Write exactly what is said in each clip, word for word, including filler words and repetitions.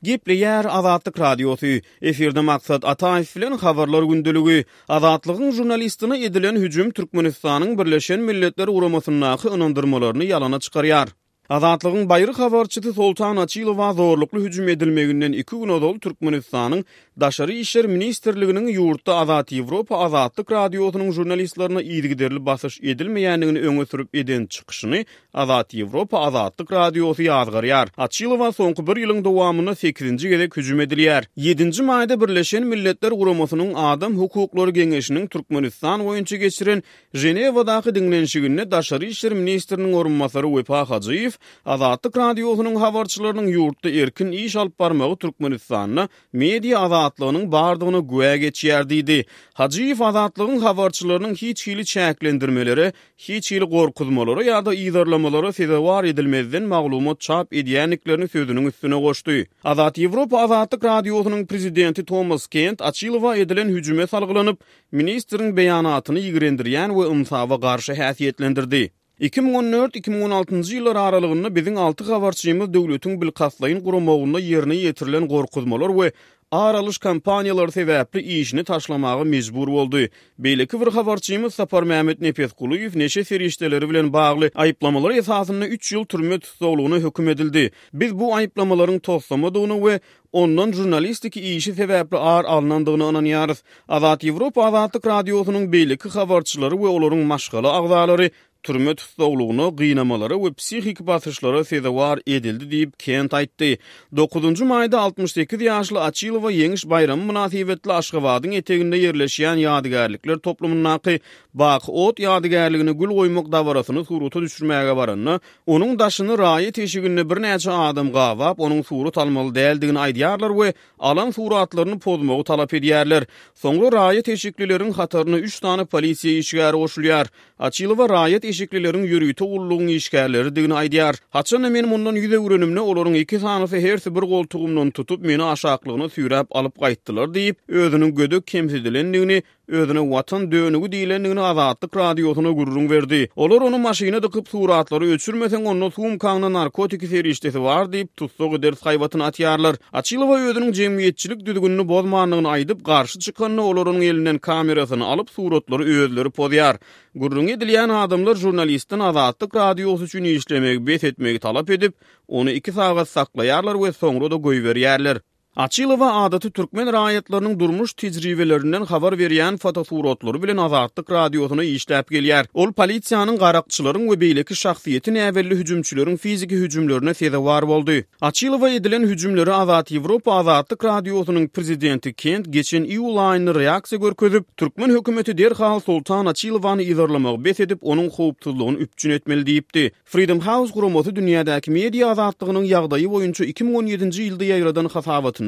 Gepleýär Azatlyk Radiosy. Efirde Maksat Ataýew bilen Habarlar gündeligi. Azatlygyň žurnalistine edilen hüjüm Türkmenistanyň Birleşen Milletler Guramasyndaky ynandyrmalaryny ýalana çykarýar. Azatlygyň baýry habarçysy Soltan Açylowa zorlukly hüjüm edilmeginden iki gün ozal Türkmenistanyň Daşary işler ministrliginiň ýurtda Azat Ýewropa Azatlyk Radiosynyň žurnalistlerine yzygiderli basyş edilmeýändigini öňe sürüp eden çykyşyny Azat Ýewropa Azatlyk Radiosy ýazgarýar. Açylowa soňky bir ýylyň dowamynda sekizinji gezek hüjüm edilýär. Ýedinji maýda Birleşen Milletler Guramasynyň Adam hukuklary geňeşiniň Türkmenistan boýunça geçiren Ženewadaky diňlenişiginde Daşary işler ministriniň orunbasary Wepa Hajyýew Azatlyk Radiosynyň habarçylarynyň ýurtda erkin iş alyp barmagy Türkmenistanda media azatlygynyň bardygyna güwä geçýär diýdi. Hajyýew Azatlygyň habarçylarynyň hiç hili çäklendirmelere, hiç hili gorkuzmalara ýa-da yzarlamalara sezewar edilmezden maglumat çap edýändiklerini sözüniň üstüne goşdy. Azat Ýewropa Azatlyk Radiosynyň prezidenti Tomas Kent Açylowa edilen hüjüme salgylanyp, ministriň beýanatyny ýigrendirýän we ynsaba garşy häsiýetlendirdi. Iki müň on dört, iki müň on altynjy ýyllar aralygynda biziň alty habarçymyz döwletiň bilkastlaýyn guramagynda ýerine ýetirilen gorkuzmalar we ar alyş kampaniýalary sebäpli işini taşlamaga mejbur boldy. Beýleki bir habarçymyz Saparmämmet Nepesgulyýew neşe serişdeleri bilen bagly aýyplamalar esasynda üç ýyl türme tussaglygyna höküm edildi. Biz bu aýyplamalaryň toslamadygyna we ondan žurnalistiki işi sebäpli ar alnandygyna ynanýarys. Azat Ýewropa Azatlyk Radiosynyň beýleki habarçylary we olaryň maşgala agzalary türme tussaglygyna, gynamalara we psihiki basyşlara sezewar edildi diýip, Kent aýtdy. Dokuzynjy maýda altmyş sekiz ýaşly Açylowa Ýeňiş baýramy mynasybetli Aşgabadyň eteginde ýerleşýän ýadygärlikler toplumyndaky Baky ot ýadygärligine gül goýmak dabarasyny surata düşürmäge baranda, onuň daşyny raýat eşiginde birnäçe adam gabap, onuň surat almaly däldigini aýdýarlar we alan suratlaryny pozmagy talap edýärler. Soňra raýat eşiklileriň hataryna üç sany polisiýa işgäri goşulýar. Açylowa raýat eşiklileriň ýörite gullugyň işgärleridigini aýdýar. Haçanda men mundan ýüz öwrenimde, olaryň iki sanysy hersi bir goltugymdan tutup, meni aşaklygyna süýräp alyp gaýtdylar diýip, özüniň gödek kemsidilendigini, özüne Watan dönügi diýlendigini Azatlyk Radiosyna gürrüň berdi. Olar ony maşyna dykyp, suratlary öçürmeseň, onda sumkaňda narkotiki serişdesi bar diýip, tussag ederis haýbatyny atýarlar. Açylowa özüniň jemgyýetçilik düzgünini bozmandygyny aýdyp, garşy çykanda olar onuň elinden kamerasyny alyp, suratlary özleri pozýar. Gürrüňi edilýän adamlar žurnalistden Azatlyk Radiosy üçin işlemegi bes etmegi talap edip, ony iki sagat saklaýarlar we soňra-da goýberýärler. Açylowa adaty türkmen raýatlarynyň durmuş tejribelerinden habar berýän fotosuratlary bilen Azatlyk Radiosyna işläp gelýär. Ol polisiýanyň, garakçylaryň we beýleki şahsyýeti näbelli hüjümçileriň fiziki hüjümlerine sezewar boldy. Açylowa edilen hüjümlere Azat Ýewropa Azatlyk Radiosynyň prezidenti Kent geçen iýul aýynda reaksiýa görkezip, türkmen hökümeti derhal Soltan Açylowany yzarlamagy bes edip, onuň howpsuzlygyny üpjün etmeli diýipdi. Freedom House guramasy dünýädäki media azatlygynyň ýagdaýy boýunça iki müň on ýedinji ýylda ýaýradan hasabatynda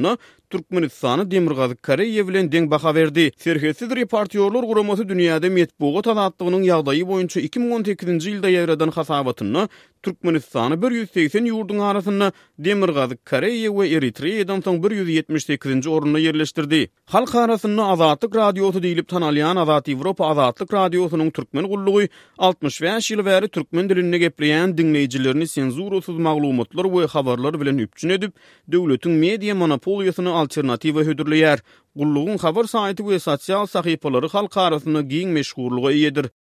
Türkmenistany Demirgazyk Koreýa bilen deň baha berdi. Serhetsiz reportýorlar guramasy dünýäde metbugat azatlygynyň ýagdaýy boýunça iki müň on sekizinji ýylda ýaýradan hasabatynda Türkmenistany bir ýüz segsen ýurduň arasynda Demirgazyk Koreýa we Eritreýadan soň bir ýüz ýetmiş sekizinji orunda ýerleşdirdi. Halk arasynda Azatlyk Radiosy diýlip tanalýan Azat Ýewropa Azatlyk Radiosynyň türkmen gullugy altmyş bäş ýyl bäri türkmen dilinde gepleýän diňleýjilerini senzurasyz maglumatlar we habarlar bilen üpjün edip, döwletiň media monopoliýasyna alternatiwa hödürleýär. Gullugyň habar saýty we sosial sahypalary halk arasynda giň meşhurlyga eýedir.